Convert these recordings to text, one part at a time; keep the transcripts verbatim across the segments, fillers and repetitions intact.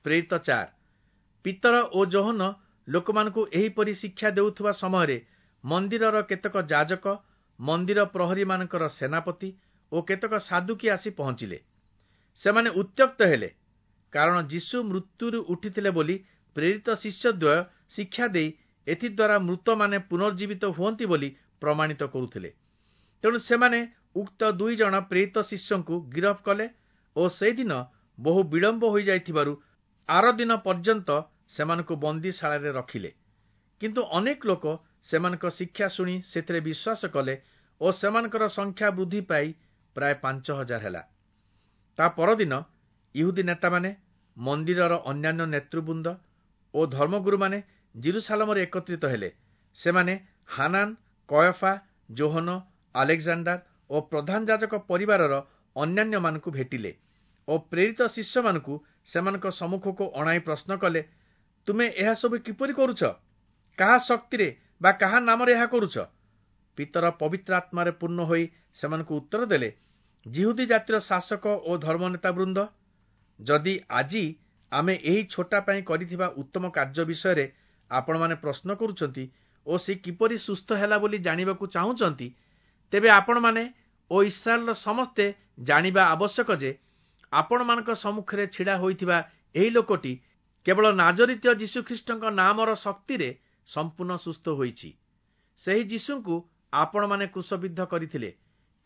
ପ୍ରେରିତ ଚାରି। ପିତର ଓ ଯୋହନ ଲୋକମାନଙ୍କୁ ଏହିପରି ଶିକ୍ଷା ଦେଉଥିବା ସମୟରେ ମନ୍ଦିରର କେତେକ ଯାଜକ, ମନ୍ଦିର ପ୍ରହରୀମାନଙ୍କର ସେନାପତି ଓ କେତେକ ସାଦୁକୀ ଆସି ପହଞ୍ଚିଲେ। ସେମାନେ ଉତ୍ତ୍ୟକ୍ତ ହେଲେ, କାରଣ ଯୀଶୁ ମୃତ୍ୟୁରୁ ଉଠିଥିଲେ ବୋଲି ପ୍ରେରିତ ଶିଷ୍ୟଦ୍ୱୟ ଶିକ୍ଷା ଦେଇ ଏଥିଦ୍ୱାରା ମୃତମାନେ ପୁନର୍ଜୀବିତ ହୁଅନ୍ତି ବୋଲି ପ୍ରମାଣିତ କରୁଥିଲେ। ତେଣୁ ସେମାନେ ଉକ୍ତ ଦୁଇ ଜଣ ପ୍ରେରିତ ଶିଷ୍ୟଙ୍କୁ ଗିରଫ କଲେ ଓ ସେହିଦିନ ବହୁ ବିଳମ୍ବ ହୋଇଯାଇଥିବାରୁ ଆରଦିନ ପର୍ଯ୍ୟନ୍ତ ସେମାନଙ୍କୁ ବନ୍ଦୀଶାଳାରେ ରଖିଲେ। କିନ୍ତୁ ଅନେକ ଲୋକ ସେମାନଙ୍କ ଶିକ୍ଷା ଶୁଣି ସେଥିରେ ବିଶ୍ୱାସ କଲେ ଓ ସେମାନଙ୍କର ସଂଖ୍ୟା ବୃଦ୍ଧି ପାଇ ପ୍ରାୟ ପାଞ୍ଚ ହଜାର ହେଲା। ତା ପରଦିନ ଇହୁଦୀ ନେତାମାନେ, ମନ୍ଦିରର ଅନ୍ୟାନ୍ୟ ନେତୃବୃନ୍ଦ ଓ ଧର୍ମଗୁରୁମାନେ ଯିରୂଶାଲମରେ ଏକତ୍ରିତ ହେଲେ। ସେମାନେ ହାନାନ, କୟଫା, ଯୋହନ, ଆଲେକ୍ଜାଣ୍ଡାର ଓ ପ୍ରଧାନ ଯାଜକ ପରିବାରର ଅନ୍ୟାନ୍ୟମାନଙ୍କୁ ଭେଟିଲେ ଓ ପ୍ରେରିତ ଶିଷ୍ୟମାନଙ୍କୁ ସେମାନଙ୍କ ସମ୍ମୁଖକୁ ଅଣାଇ ପ୍ରଶ୍ନ କଲେ, ତୁମେ ଏହା ସବୁ କିପରି କରୁଛ? କାହା ଶକ୍ତିରେ ବା କାହା ନାମରେ ଏହା କରୁଛ? ପିତର ପବିତ୍ର ଆତ୍ମାରେ ପୂର୍ଣ୍ଣ ହୋଇ ସେମାନଙ୍କୁ ଉତ୍ତର ଦେଲେ, ଯିହୁଦୀ ଜାତିର ଶାସକ ଓ ଧର୍ମନେତା ବୃନ୍ଦ, ଯଦି ଆଜି ଆମେ ଏହି ଛୋଟା ପାଇଁ କରିଥିବା ଉତ୍ତମ କାର୍ଯ୍ୟ ବିଷୟରେ ଆପଣମାନେ ପ୍ରଶ୍ନ କରୁଛନ୍ତି ଓ ସେ କିପରି ସୁସ୍ଥ ହେଲା ବୋଲି ଜାଣିବାକୁ ଚାହୁଁଛନ୍ତି, ତେବେ ଆପଣମାନେ ଓ ଇସ୍ରାଏଲର ସମସ୍ତେ ଜାଣିବା ଆବଶ୍ୟକ ଯେ ଆପଣମାନଙ୍କ ସମ୍ମୁଖରେ ଛିଡ଼ା ହୋଇଥିବା ଏହି ଲୋକଟି କେବଳ ନାଜରିତୀୟ ଯୀଶୁଖ୍ରୀଷ୍ଟଙ୍କ ନାମର ଶକ୍ତିରେ ସମ୍ପୂର୍ଣ୍ଣ ସୁସ୍ଥ ହୋଇଛି। ସେହି ଯୀଶୁଙ୍କୁ ଆପଣମାନେ କ୍ରୁଶବିଦ୍ଧ କରିଥିଲେ,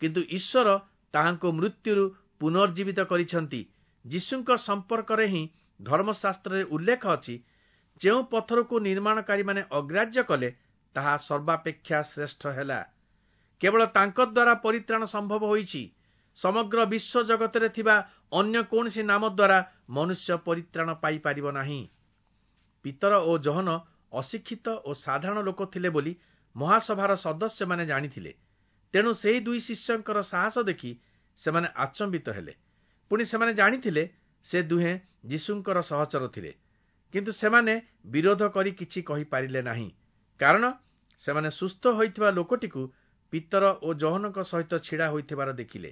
କିନ୍ତୁ ଈଶ୍ୱର ତାହାଙ୍କୁ ମୃତ୍ୟୁରୁ ପୁନର୍ଜୀବିତ କରିଛନ୍ତି। ଯୀଶୁଙ୍କ ସମ୍ପର୍କରେ ହିଁ ଧର୍ମଶାସ୍ତ୍ରରେ ଉଲ୍ଲେଖ ଅଛି, ଯେଉଁ ପଥରକୁ ନିର୍ମାଣକାରୀମାନେ ଅଗ୍ରାହ୍ୟ କଲେ, ତାହା ସର୍ବାପେକ୍ଷା ଶ୍ରେଷ୍ଠ ହେଲା। କେବଳ ତାଙ୍କ ଦ୍ୱାରା ପରିତ୍ରାଣ ସମ୍ଭବ ହୋଇଛି। ସମଗ୍ର ବିଶ୍ୱ ଜଗତରେ ଥିବା ଅନ୍ୟ କୌଣସି ନାମ ଦ୍ୱାରା ମନୁଷ୍ୟ ପରିତ୍ରାଣ ପାଇପାରିବ ନାହିଁ। ପିତର ଓ ଯୋହନ ଅଶିକ୍ଷିତ ଓ ସାଧାରଣ ଲୋକ ଥିଲେ ବୋଲି ମହାସଭାର ସଦସ୍ୟମାନେ ଜାଣିଥିଲେ। ତେଣୁ ସେହି ଦୁଇ ଶିଷ୍ୟଙ୍କର ସାହସ ଦେଖି ସେମାନେ ଆଚମ୍ବିତ ହେଲେ। ପୁଣି ସେମାନେ ଜାଣିଥିଲେ ସେ ଦୁହେଁ ଯୀଶୁଙ୍କର ସହଚର ଥିଲେ। କିନ୍ତୁ ସେମାନେ ବିରୋଧ କରି କିଛି କହିପାରିଲେ ନାହିଁ, କାରଣ ସେମାନେ ସୁସ୍ଥ ହୋଇଥିବା ଲୋକଟିକୁ ପିତର ଓ ଯୋହନଙ୍କ ସହିତ ଛିଡ଼ା ହୋଇଥିବାର ଦେଖିଲେ।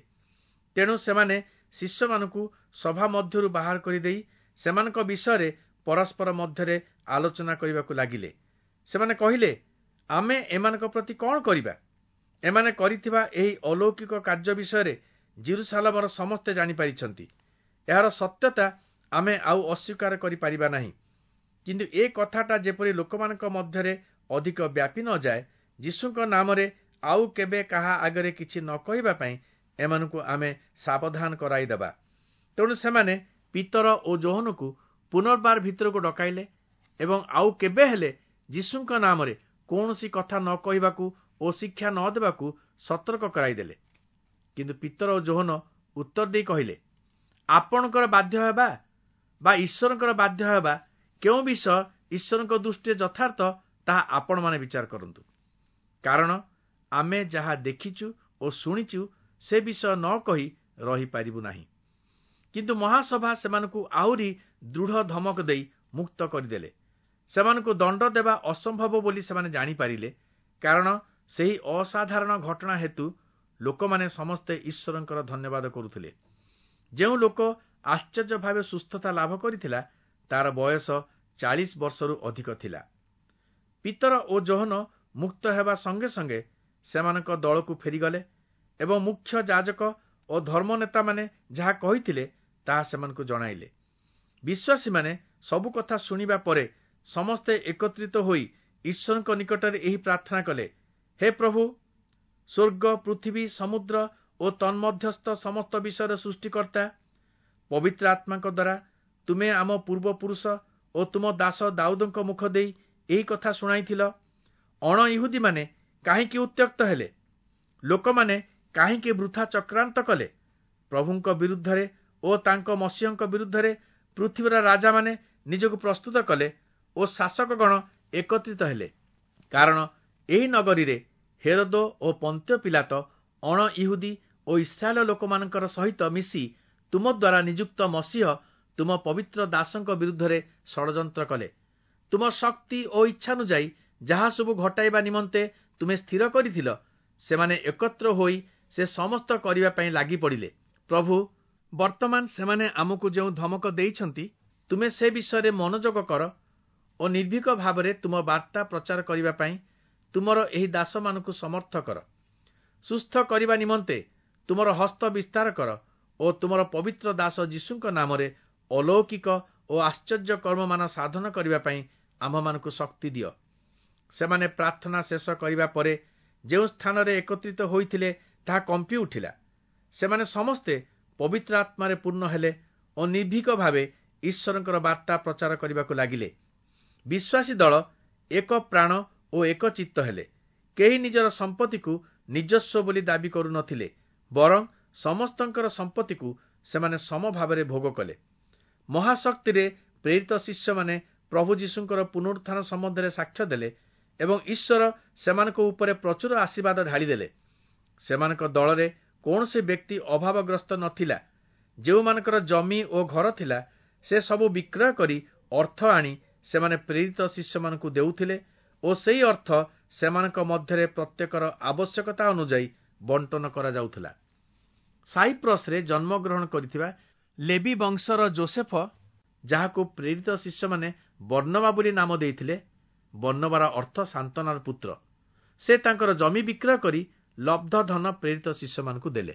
ତେଣୁ ସେମାନେ ଶିଷ୍ୟମାନଙ୍କୁ ସଭା ମଧ୍ୟରୁ ବାହାର କରିଦେଇ ସେମାନଙ୍କ ବିଷୟରେ ପରସ୍ପର ମଧ୍ୟରେ ଆଲୋଚନା କରିବାକୁ ଲାଗିଲେ। ସେମାନେ କହିଲେ, ଆମେ ଏମାନଙ୍କ ପ୍ରତି କଣ କରିବା? ଏମାନେ କରିଥିବା ଏହି ଅଲୌକିକ କାର୍ଯ୍ୟ ବିଷୟରେ ଯିରୂଶାଲମର ସମସ୍ତେ ଜାଣିପାରିଛନ୍ତି। ଏହାର ସତ୍ୟତା ଆମେ ଆଉ ଅସ୍ୱୀକାର କରିପାରିବା ନାହିଁ। କିନ୍ତୁ ଏ କଥାଟା ଯେପରି ଲୋକମାନଙ୍କ ମଧ୍ୟରେ ଅଧିକ ବ୍ୟାପି ନ ଯାଏ, ଯୀଶୁଙ୍କ ନାମରେ ଆଉ କେବେ କାହା ଆଗରେ କିଛି ନ କହିବା ପାଇଁ ଏମାନଙ୍କୁ ଆମେ ସାବଧାନ କରାଇଦେବା। ତେଣୁ ସେମାନେ ପିତର ଓ ଯୋହନକୁ ପୁନର୍ବାର ଭିତରକୁ ଡକାଇଲେ ଏବଂ ଆଉ କେବେ ହେଲେ ଯୀଶୁଙ୍କ ନାମରେ କୌଣସି କଥା ନ କହିବାକୁ ଓ ଶିକ୍ଷା ନ ଦେବାକୁ ସତର୍କ କରାଇଦେଲେ। କିନ୍ତୁ ପିତର ଓ ଯୋହନ ଉତ୍ତର ଦେଇ କହିଲେ, ଆପଣଙ୍କର ବାଧ୍ୟ ହେବା ବା ଈଶ୍ୱରଙ୍କର ବାଧ୍ୟ ହେବା କେଉଁ ବିଷୟ ଈଶ୍ୱରଙ୍କ ଦୃଷ୍ଟିରେ ଯଥାର୍ଥ, ତାହା ଆପଣମାନେ ବିଚାର କରନ୍ତୁ। କାରଣ ଆମେ ଯାହା ଦେଖିଛୁ ଓ ଶୁଣିଛୁ ସେ ବିଷୟ ନ କହି ରହିପାରିବୁ ନାହିଁ। କିନ୍ତୁ ମହାସଭା ସେମାନଙ୍କୁ ଆହୁରି ଦୃଢ଼ ଧମକ ଦେଇ ମୁକ୍ତ କରିଦେଲେ। ସେମାନଙ୍କୁ ଦଣ୍ଡ ଦେବା ଅସମ୍ଭବ ବୋଲି ସେମାନେ ଜାଣିପାରିଲେ, କାରଣ ସେହି ଅସାଧାରଣ ଘଟଣା ହେତୁ ଲୋକମାନେ ସମସ୍ତେ ଈଶ୍ୱରଙ୍କର ଧନ୍ୟବାଦ କରୁଥିଲେ। ଯେଉଁ ଲୋକ ଆଶ୍ଚର୍ଯ୍ୟ ଭାବେ ସୁସ୍ଥତା ଲାଭ କରିଥିଲା, ତାର ବୟସ ଚାଳିଶ ବର୍ଷରୁ ଅଧିକ ଥିଲା। ପିତର ଓ ଯୋହନ ମୁକ୍ତ ହେବା ସଙ୍ଗେ ସଙ୍ଗେ ସେମାନଙ୍କ ଦଳକୁ ଫେରିଗଲେ ଏବଂ ମୁଖ୍ୟ ଯାଜକ ଓ ଧର୍ମନେତାମାନେ ଯାହା କହିଥିଲେ ତାହା ସେମାନଙ୍କୁ ଜଣାଇଲେ। ବିଶ୍ୱାସୀମାନେ ସବୁ କଥା ଶୁଣିବା ପରେ ସମସ୍ତେ ଏକତ୍ରିତ ହୋଇ ଈଶ୍ୱରଙ୍କ ନିକଟରେ ଏହି ପ୍ରାର୍ଥନା କଲେ, ହେ ପ୍ରଭୁ, ସ୍ୱର୍ଗ, ପୃଥିବୀ, ସମୁଦ୍ର ଓ ତନ୍ମଧ୍ୟସ୍ଥ ସମସ୍ତ ବିଷୟର ସୃଷ୍ଟିକର୍ତ୍ତା, ପବିତ୍ର ଆତ୍ମାଙ୍କ ଦ୍ୱାରା ତୁମେ ଆମ ପୂର୍ବପୁରୁଷ ଓ ତୁମ ଦାସ ଦାଉଦଙ୍କ ମୁଖ ଦେଇ ଏହି କଥା ଶୁଣାଇଥିଲ। ଅଣ ଇହୁଦୀମାନେ କାହିଁକି ଉତ୍ତ୍ୟକ୍ତ ହେଲେ? ଲୋକମାନେ କାହିଁକି ବୃଥା ଚକ୍ରାନ୍ତ କଲେ? ପ୍ରଭୁଙ୍କ ବିରୁଦ୍ଧରେ ଓ ତାଙ୍କ ମସିହଙ୍କ ବିରୁଦ୍ଧରେ ପୃଥିବୀର ରାଜାମାନେ ନିଜକୁ ପ୍ରସ୍ତୁତ କଲେ ଓ ଶାସକଗଣ ଏକତ୍ରିତ ହେଲେ। କାରଣ ଏହି ନଗରୀରେ ହେରୋଦ ଓ ପନ୍ତ୍ୟ ପିଲାତ ଅଣ ଇହୁଦୀ ଓ ଇସ୍ରାଏଲ ଲୋକମାନଙ୍କର ସହିତ ମିଶି ତୁମ ଦ୍ୱାରା ନିଯୁକ୍ତ ମସିହ ତୁମ ପବିତ୍ର ଦାସଙ୍କ ବିରୁଦ୍ଧରେ ଷଡ଼ଯନ୍ତ୍ର କଲେ। ତୁମ ଶକ୍ତି ଓ ଇଚ୍ଛାନୁଯାୟୀ ଯାହା ସବୁ ଘଟାଇବା ନିମନ୍ତେ ତୁମେ ସ୍ଥିର କରିଥିଲ, ସେମାନେ ଏକତ୍ର ହୋଇ ସେ ସମସ୍ତ କରିବା ପାଇଁ ଲାଗି ପଡ଼ିଲେ। ପ୍ରଭୁ, ବର୍ତ୍ତମାନ ସେମାନେ ଆମକୁ ଯେଉଁ ଧମକ ଦେଇଛନ୍ତି, ତୁମେ ସେ ବିଷୟରେ ମନୋଯୋଗ କର ଓ ନିର୍ଭୀକ ଭାବରେ ତୁମ ବାର୍ତ୍ତା ପ୍ରଚାର କରିବା ପାଇଁ ତୁମର ଏହି ଦାସମାନଙ୍କୁ ସମର୍ଥ କର। ସୁସ୍ଥ କରିବା ନିମନ୍ତେ ତୁମର ହସ୍ତ ବିସ୍ତାର କର ଓ ତୁମର ପବିତ୍ର ଦାସ ଯୀଶୁଙ୍କ ନାମରେ ଅଲୌକିକ ଓ ଆଶ୍ଚର୍ଯ୍ୟ କର୍ମମାନ ସାଧନ କରିବା ପାଇଁ ଆମ୍ଭମାନଙ୍କୁ ଶକ୍ତି ଦିଅ। ସେମାନେ ପ୍ରାର୍ଥନା ଶେଷ କରିବା ପରେ ଯେଉଁ ସ୍ଥାନରେ ଏକତ୍ରିତ ହୋଇଥିଲେ ତାହା କମ୍ପି ଉଠିଲା। ସେମାନେ ସମସ୍ତେ ପବିତ୍ର ଆତ୍ମାରେ ପୂର୍ଣ୍ଣ ହେଲେ ଓ ନିର୍ଭୀକ ଭାବେ ଈଶ୍ୱରଙ୍କର ବାର୍ତ୍ତା ପ୍ରଚାର କରିବାକୁ ଲାଗିଲେ। ବିଶ୍ୱାସୀ ଦଳ ଏକ ପ୍ରାଣ ଓ ଏକ ଚିତ୍ତ ହେଲେ। କେହି ନିଜର ସମ୍ପତ୍ତିକୁ ନିଜସ୍ୱ ବୋଲି ଦାବି କରୁନଥିଲେ, ବରଂ ସମସ୍ତଙ୍କର ସମ୍ପତ୍ତିକୁ ସେମାନେ ସମଭାବରେ ଭୋଗ କଲେ। ମହାଶକ୍ତିରେ ପ୍ରେରିତ ଶିଷ୍ୟମାନେ ପ୍ରଭୁ ଯୀଶୁଙ୍କର ପୁନରୁତ୍ଥାନ ସମ୍ବନ୍ଧରେ ସାକ୍ଷ୍ୟ ଦେଲେ ଏବଂ ଈଶ୍ୱର ସେମାନଙ୍କ ଉପରେ ପ୍ରଚୁର ଆଶୀର୍ବାଦ ଢାଳିଦେଲେ। ସେମାନଙ୍କ ଦଳରେ କୌଣସି ବ୍ୟକ୍ତି ଅଭାବଗ୍ରସ୍ତ ନଥିଲା। ଯେଉଁମାନଙ୍କର ଜମି ଓ ଘର ଥିଲା, ସେ ସବୁ ବିକ୍ରୟ କରି ଅର୍ଥ ଆଣି ସେମାନେ ପ୍ରେରିତ ଶିଷ୍ୟମାନଙ୍କୁ ଦେଉଥିଲେ ଓ ସେହି ଅର୍ଥ ସେମାନଙ୍କ ମଧ୍ୟରେ ପ୍ରତ୍ୟେକର ଆବଶ୍ୟକତା ଅନୁଯାୟୀ ବଣ୍ଟନ କରାଯାଉଥିଲା। ସାଇପ୍ରସରେ ଜନ୍ମଗ୍ରହଣ କରିଥିବା ଲେବି ବଂଶର ଜୋସେଫ, ଯାହାକୁ ପ୍ରେରିତ ଶିଷ୍ୟମାନେ ବର୍ଣ୍ଣବା ବୋଲି ନାମ ଦେଇଥିଲେ, ବର୍ଣ୍ଣବାର ଅର୍ଥ ସାନ୍ତ୍ୱନାର ପୁତ୍ର, ସେ ତାଙ୍କର ଜମି ବିକ୍ରୟ କରି ଲବ୍ଧ ଧନ ପ୍ରେରିତ ଶିଷ୍ୟମାନଙ୍କୁ ଦେଲେ।